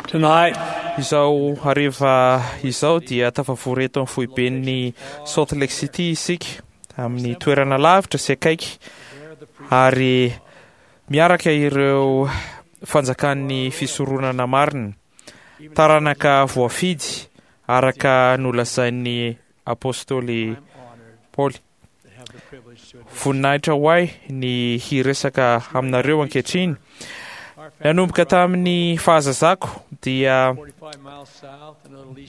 Tonight, Izao hariva izao dia tafavory eto amin'ny foiben'ny Salt Lake City isika amin'ny toerana lavitra sy akaiky ary miaraka ireo fanjakan'ny fisoronana marina, taranaka voafidy araka nolazain'ny apostoly Paoly. Voninahitra ho ahy ny hiresaka aminareo ankehitriny. Nanomboka tamin'ny fahazazako dia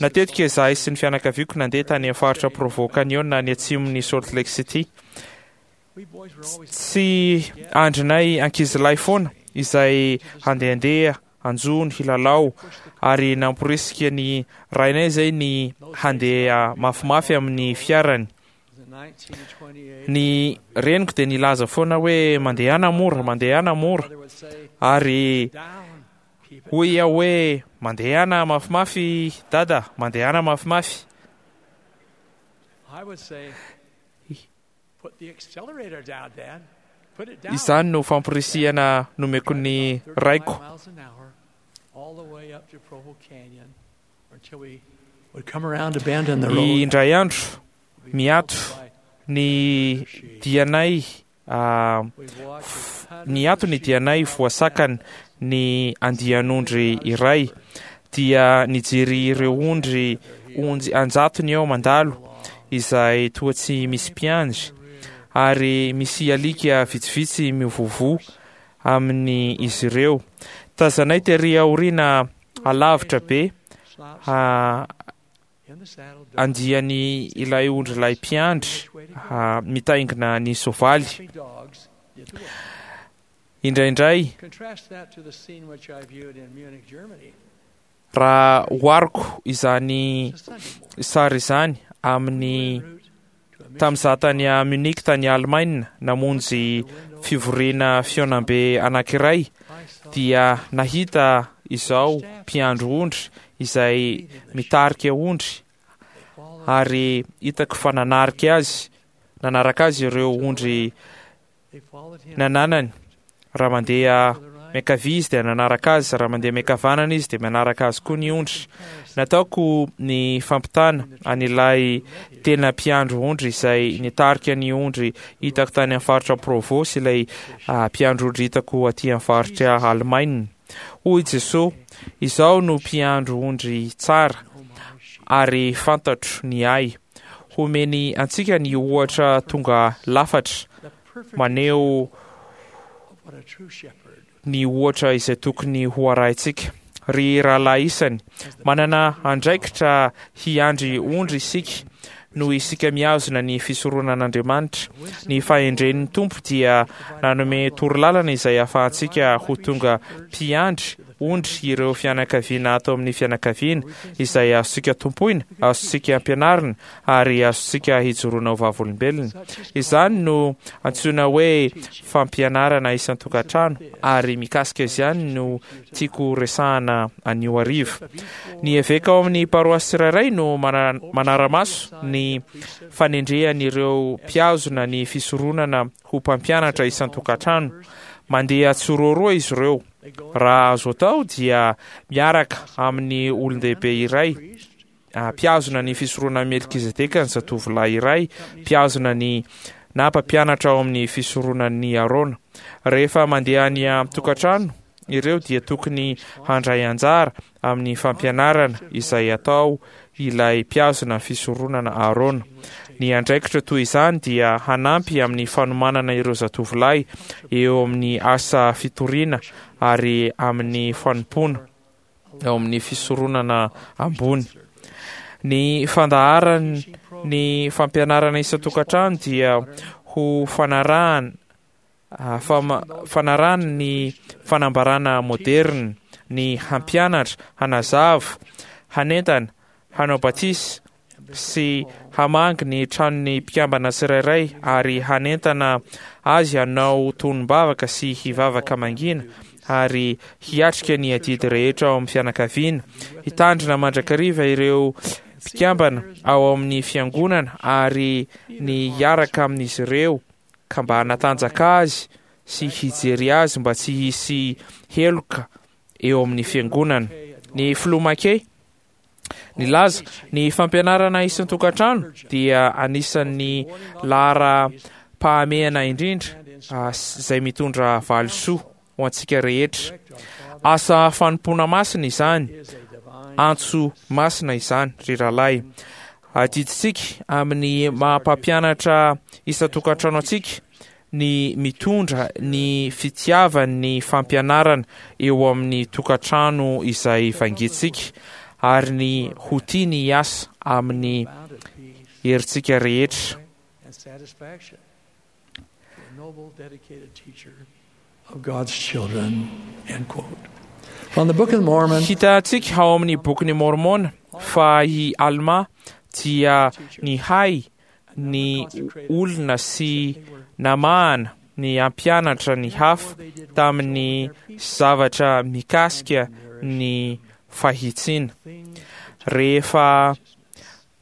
natetika izahay sy ny fianakaviako nandeha tany amin'ny faritra Provo Canyon any atsimon'i Salt Lake City. Tsy andrinay ankizilahy foana izay handehandeha, hanjono, hilalao ary namporisika ny rainay izay ny handeha mafimafy amin'ny fiarany. Ny reniko dia nilaza foana hoe mandehana mora, mandehana mora. Ary hoy aho hoe mandehana mafimafy dada, mandehana mafimafy. Izany no famporisihana nomeko ny raiko. Indray andro, miato ny dianay niato ny dianay voasakana ny andian'ondry iray dia nijery ireo ondry onjy an-jatony eo mandalo izay toa tsy misy mpiandry ary misy alika vitsivitsy mivovoa amin'ny izy ireo. Tazanay tery aoriana alavitra be andiany ilay ondrilahy mpiandry mitaingina ny soavaly. Indraindray, raha ohariko izany sary izany amin'ny tamin'izaho tany Munich tany Alemaina namonjy fivoriana fihaonambe anankiray dia nahita izao mpiandry ondry izay mitarika ondry ary hitako fa nanarika azy nanaraka azy ireo ondry nananany. Raha mandeha miankavia izy dia nanaraka azy, raha mandeha miankavanana izy dia manaraka azy koa ny ondry. Nataoko ny fampitana an'ilay tena mpiandry ondry izay nitarika ny ondry hitako tany amin'ny faritra Provo sy ilay mpiandry ondry hitako aty amin'ny faritra Alemaina. Hoy Jesoa, Izaho no mpiandry ondry tsara, ary fantatro ny ahy. Homeny antsika ny ohatra tonga lafatra maneho ny ohatra izay tokony ho arahintsika. Ry rahalahy isany, manana andraikitra hiandry ondry isika noho isika mihazona ny fisoronan'Andriamanitra. Ny fahendren'ny Tompo dia nanome torolalana izay ahafahantsika ho tonga mpiandry ondry ireo fianakaviana ato amin'ny fianakaviana izay azontsika tompoina, azontsika ampianarina ary azontsika hijoroana ho vavolombelona. Izany no antsoina hoe fampianarana isan-tokantrano ary mikasika izany no tiako resahana anio hariva. Ny eveka ao amin'ny paroasy tsirairay no manara-maso ny fanendrehan'ireo mpihazona ny fisoronana ho mpampianatra isan-tokantrano. Mandeha tsiroaroa izy ireo. Raha azo atao dia miaraka amin'ny olon-dehibe iray mpihazona ny fisoronan'i Melkizedeka ny zatovolahy iray mpihazona ny na mpampianatra ao amin'ny fisoronan'i Arona. Rehefa mandeha any an-tokantrano ireo dia tokony handray anjara amin'ny fampianarana izay atao ilay mpihazona fisoronana Arona. Ny andraikitra toy izany dia hanampy amin'ny fanomanana ireo zatovolahy eo amin'ny asa fitoriana ary amin'ny fanompoana ao amin'ny fisoronana ambony. Ny fandaharan ny fampianarana isan-tokantrano dia ho fanarahana fanarahana ny fanambarana moderina, ny hampianatra, hanazava, hanentana, hanao batisa sy hamangy ny tranon'ny mpikambana tsirairay ary hanentana azy hanao tonom-bavaka sy hivavaka mangina ary hiatrika ny adidy rehetra ao amin'ny fianakaviana, hitandrina mandrakariva ireo mpikambana ao amin'ny fiangonana ary ny hiaraka amin'izy ireo ka mba hanatanjaka azy sy hijery azy mba tsy hisy heloka eo amin'ny fiangonana. Ny Filoha McKay nilaza, Ny fampianarana isan-tokantrano dia anisan'ny laharam-pahamehana indrindra izay mitondra valisoa ho antsika rehetra. Asa fanompoana masina izany, antso masina izany, ry rahalahy. Adidintsika amin'ny maha-mpampianatra isan-tokantrano antsika ny mitondra ny fitiavan'ny fampianarana eo amin'ny tokantrano izay vangintsika ary ny ho tia ny hiasa amin'ny herintsika rehetra. Hitantsika ao amin'ny Bokin'i Môrmôna fa i Almà dia nihay ny olona sy namahana ny hampianatra ny hafa tamin'ny zavatra mikasika ny fahitsiana. Rehefa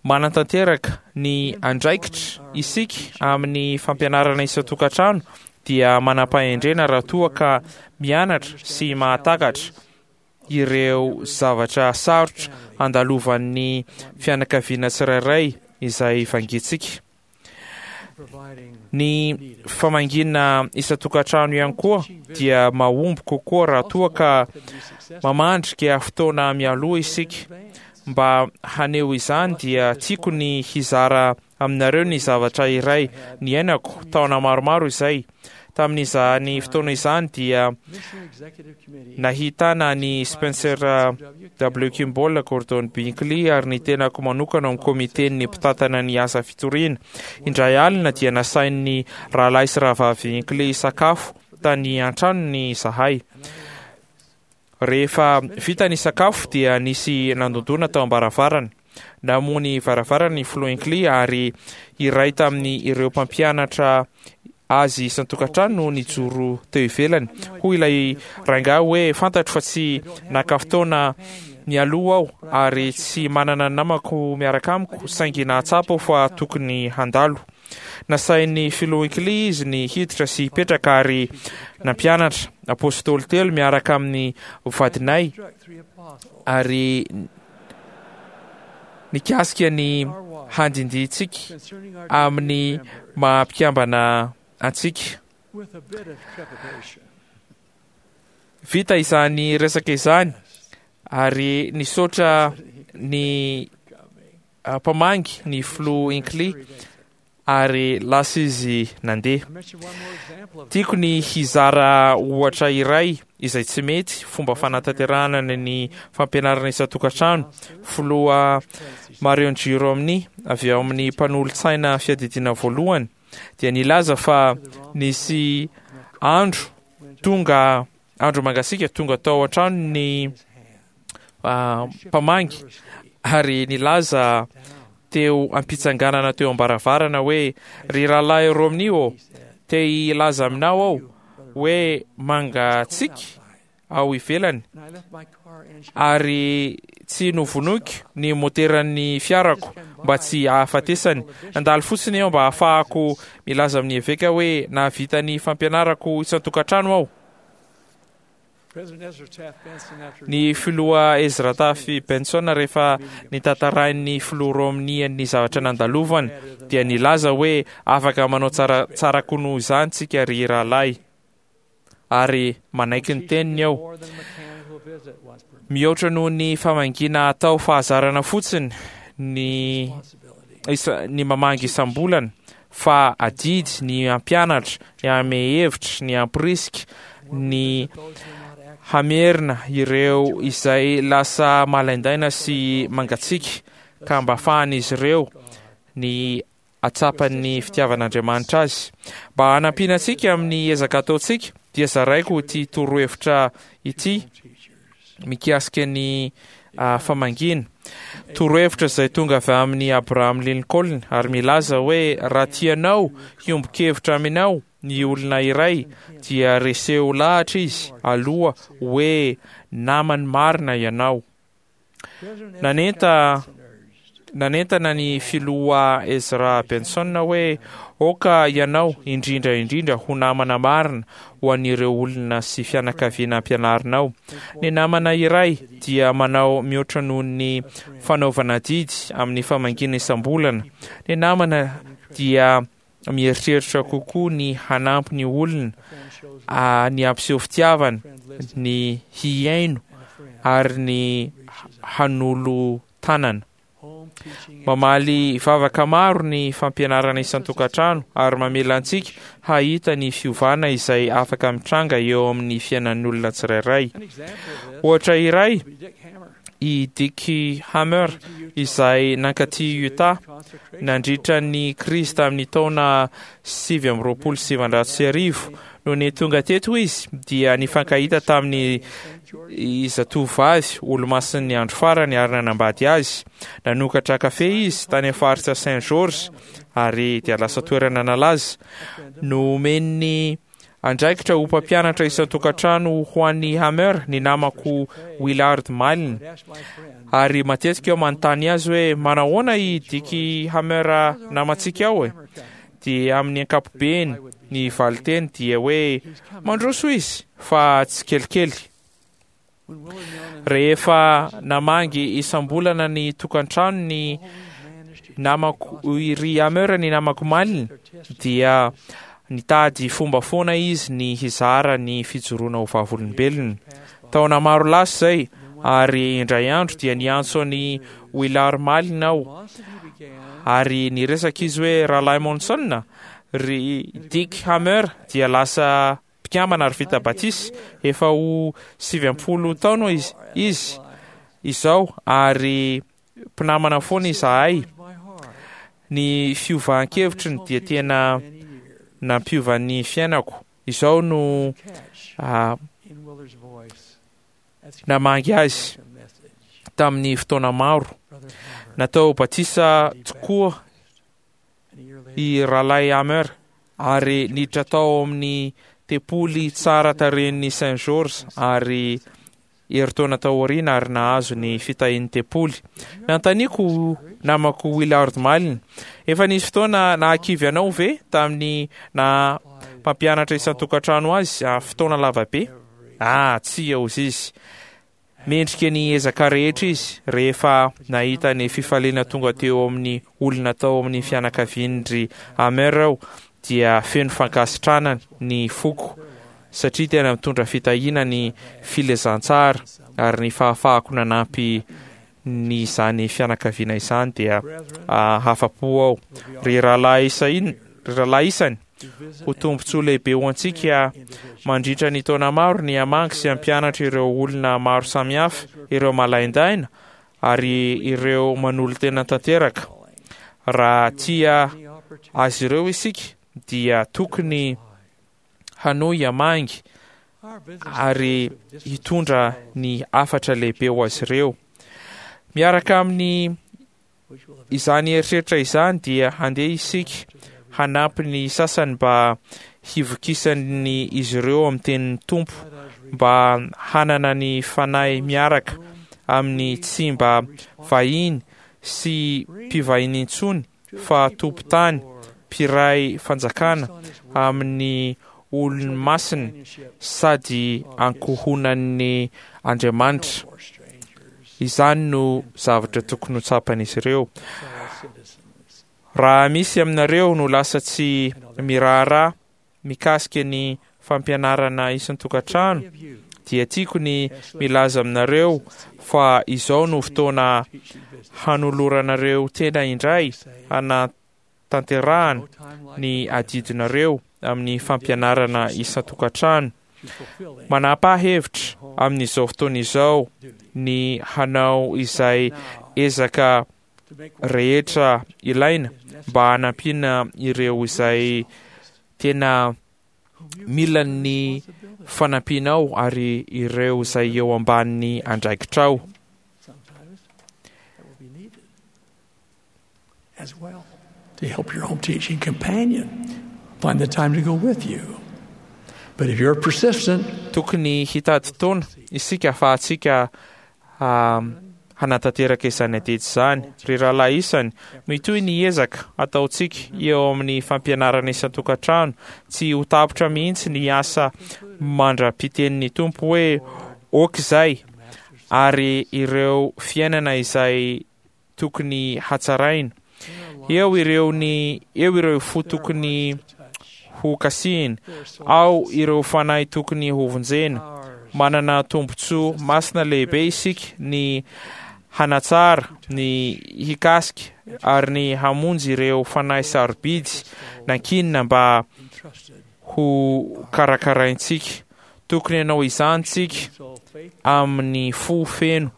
manatanteraka ny andraikitra isika amin'ny fampianarana isan-tokantrano dia manam-pahendrena raha toa ka mianatra sy mahatakatra ireo zavatra sarotra andalovan'ny fianakaviana tsirairay izay vangintsika. Ny famangiana isan-tokantrano ihany koa dia mahomby kokoa raha toa ka mamandrika fotoana mialoha isika. Mba haneho izany dia tiako ny hizara aminareo ny zavatra iray niainako taona maromaro izay. Tamin'izany fotoana izany dia nahitana an'i Spencer W. Kimball, Gordon Binkley ary ny tenako manokana ao amin'ny komiten'ny mpitantana ny asa fitoriana. Indray alina dia nasain'ny Rahalahy sy Rahavavy Hinckley hisakafo tany an-tranony izahay. Rehefa vita ny sakafo dia nisy nandondona tao am-baravarana. Namoha ny varavarana ny Filoha Hinckley ary iray tamin'ny ireo mpampianatra azy isan-tokantrano no nijoro teo ivelany. Hoy ilay rangahy hoe, Fantatro fa tsy naka fotoana nialoha aho ary tsy manana ny namako miaraka amiko, saingy nahatsapa aho fa tokony handalo. Nasain'ny Filoha Hinckley izy ny hiditra sy hipetraka ary nampianatra Apôstôly telo miaraka amin'ny vadinay ary nikasika ny handindintsika amin'ny maha mpikambana antsika. Vita izany resaka izany ary nisaotra ny mpamangy ny filoha Hinckley ary lasa izy nandeha. Tiako ny hizara ohatra iray izay tsy mety fomba fanatanterahana ny fampianarana isan-tokantrano. Filoha Marion G. Romney avy ao amin'ny mpanolotsaina fiadidiana voalohany dia nilaza fa nisy andro tonga andro mangasiaka tonga tao an-trano ny mpamangy ary nilaza teo am-pitsanganana teo am-baravarana hoe, Ry Rahalahy Romney ô, te hilaza aminao aho hoe mangatsiaka ao ivelany ary tsy novonoiko ny moteran'ny fiarako mba tsy hahafatesany. Nandalo fotsiny aho mba hahafahako milaza amin'ny eveka hoe nahavita ny fampianarako isan-tokantrano aho. Ny filoha Ezra Taft Benson rehefa nitantarain'ny filoha Romney ny zavatra nandalovany dia nilaza hoe afaka manao tsara tsara koa noho izany tsika ry rahalahy ary manaiky ny teniny aho. Mihoatra noho ny famangiana atao fahazarana fotsiny ny ny mamangy isam-bolana fa adidy ny hampianatra, ny hanome hevitra, ny hamporisika, ny hamerina ireo izay lasa malaindaina sy mangatsiaka ka mba afahan'izy ireo ny hatsapan'ny fitiavan'Andriamanitra azy. Mba hanampiana antsika amin'ny ezaka ataontsika dia zaraiko ity torohevitra ity mikasika ny famangiana. Torohevitra izay tonga avy amin'i Abraham Lincoln ary milaza hoe raha tianao hiombon-kevitra aminao ny olona iray dia reseho lahatra izy aloha hoe namany marina ianao. Nanenta. Nanentana ny Filoha Ezra Benson hoe, Aoka ianao, indrindra indrindra, ho namana marina ho an'ireo olona sy fianakaviana ampianarinao. Ny namana iray dia manao mihoatra noho ny fanaovana adidy amin'ny famangiana isam-bolana. Ny namana dia mieritreritra kokoa ny hanampy ny olona, ny hampiseho fitiavana, ny hihaino ary ny hanolo-tanana. Mamaly vavaka maro ny fampianarana isan-tokantrano ary mamela antsika hahita ny fiovana izay afaka mitranga eo amin'ny fiainan'ny olona tsirairay. Ohatra iray, i Dick Hammer izay nankaty Utah nandritra ny krizy tamin'ny taona 1929. Nony tonga teto izy dia nifankahita tamin'ny zatovovavy olomasin'ny andro farany ary nanambady azy. Nanokatra kafe izy tany amin'ny faritra Saint George ary dia lasa toerana nalaza. Nomen'ny andraikitra ho mpampianatra isan-tokantrano ho an'i Hammer ny namako Willard Malin. Ary matetika aho manontany azy hoe manahoana i Dick Hammer namantsika ao e? Dia amin'ny ankapobeny ny valinteny dia hoe mandroso izy fa tsikelikely. Rehefa namangy isam-bolana ny tokantrano ny namako ry Hammer ny namako Malin dia nitady fomba foana izy ny hizara ny fijoroana ho vavolombelona. Taona maro lasa izay ary indray andro dia niantso an'i Willard Malin aho ary niresaka izy hoe Rahalahy Monson, ry Dick Hammer dia lasa mpikambana ary vita batisa efa ho 90 taona izy izao ary mpinamana foana izahay. Ny fiovan-kevitriny dia tena nampiova ny fiainako. Izao no namangy azy tamin'ny fotoana maro. Natao batisa tokoa i Rahalahy Hammer ary niditra tao amin'ny tempoly tsara tarehin'ny Saint George ary herintaona taoriana ary nahazo ny fitahian'ny tempoly. Nanontaniako namako Willard Malin, Efa nisy fotoana nahakivy anao ve tamin'ny naha mpampianatra isan-tokantrano azy fotoana lava be? Ah, tsia, hozy izy. Mendrika ny ezaka rehetra izy rehefa nahita ny fifaliana tonga teo amin'ny olona tao amin'ny fianakavian-dry Hammer aho dia feno fankasitrahana ny foko satria tena mitondra fitahiana ny filazantsara ary ny fahafahako nanampy ny izany fianakaviana izany dia hafa-po aho. Ry rahalahy isany, ry rahalahy isany, ho tombontsoa lehibe ho antsika mandritra ny taona maro ny hamangy sy hampianatra ireo olona maro samihafa, ireo malaindaina ary ireo manolo-tena tanteraka. Raha tia azy ireo isika dia tokony hanohy hamangy ary hitondra ny hafatra lehibe ho azy ireo. Miaraka amin'ny izany eritreritra izany dia handeha isika hanampy ny sasany mba hivokisan'ny izy ireo amin'ny tenin'ny Tompo mba hanana ny fanahy miaraka amin'ny tsy mba vahiny sy mpivahiny intsony fa tompon-tany, mpiray fanjakana amin'ny olony masina sady ankohonan'ny Andriamanitra. Izany no zavatra tokony ho tsapan'izy ireo. Raha misy aminareo no lasa tsy miraharaha mikasika ny fampianarana isan-tokantrano dia tiako ny milaza aminareo fa izao no fotoana hanoloranareo tena indray hanatanterahana ny adidinareo amin'ny fampianarana isan-tokantrano. Manapaha hevitra amin'izao fotoana izao ny hanao izay ezaka rehetra ilaina mba hanampiana ireo izay tena mila ny fanampianao ary ireo izay eo ambanin'ny andraikitrao. As well to help your home teaching companion find the time to go with you. But if you're persistent, Tokony hitady taona isika ahafahantsika ah, hanatanteraka izany adidy izany. Ry rahalahy isany, mitohy ny ezaka ataontsika eo amin'ny fampianarana isan-tokantrano. Tsy ho tapitra mihitsy ny asa mandra-pitenin'ny Tompo hoe, Ok izay, ary ireo fiainana izay tokony hatsaraina. Eo ireo ny eo ireo fo tokony ho kasihina, ao ireo fanahy tokony hovonjena. Manana tombontsoa masina lehibe isika ny hanatsara, ny hikasika ary ny hamonjy ireo fanahy sarobidy nankinina mba ho karakaraintsika. Tokony hanao izany tsika amin'ny fo feno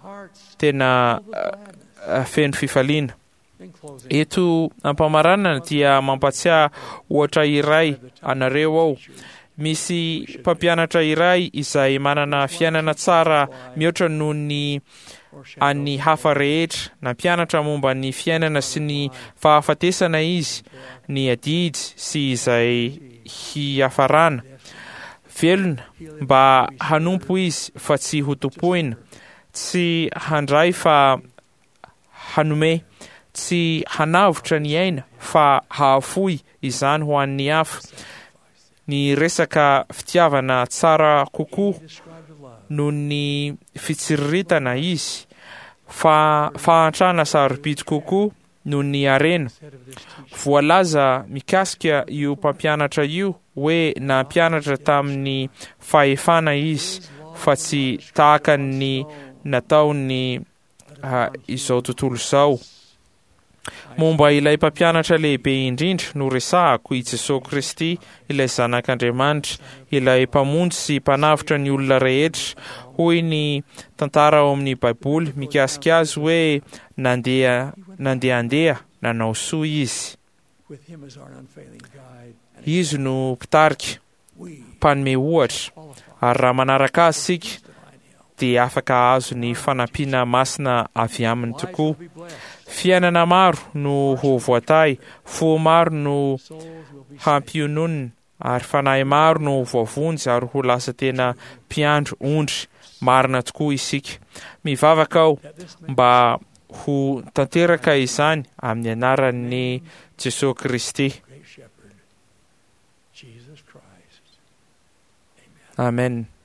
tena feno fifaliana. Eto am-pamaranana dia mampatsiahy ohatra iray anareo aho. Misy mpampianatra iray izay manana fiainana tsara mihoatra noho ny an'ny hafa rehetra. Nampianatra momba ny fiainana sy ny fahafatesana izy, ny adidy sy izay hiafarana. Velona mba hanompo izy fa tsy hotompoina, tsy handray fa hanome, tsy hanavotra ny aina fa hahafoy izany ho an'ny hafa. Niresaka fitiavana tsara kokoa noho ny fitsiriritana izy, fa fahantrana sarobidy kokoa noho ny harena. Voalaza mikasika io mpampianatra io hoe nampianatra tamin'ny fahefana izy fa tsy tahaka ny nataon'ny izao tontolo izao. Momba ilay Mpampianatra lehibe indrindra no resahako, i Jesoa Kristy, ilay Zanak'Andriamanitra, ilay Mpamonjy sy Mpanavotra ny olona rehetra. Hoy ny tantara ao amin'ny Baiboly mikasika azy hoe nandeha nandehandeha nanao soa izy. Izy no Mpitarika, Mpanome ohatra, ary raha manaraka Azy isika, dia afaka hahazo ny fanampiana masina avy Aminy tokoa. Fiainana maro no ho voatahy, fo maro no hampiononina, ary fanahy maro no ho voavonjy ary ho lasa tena mpiandry ondry marina tokoa isika. Mivavaka aho mba ho tanteraka izany amin'ny anaran'i Jesoa Kristy. Amen.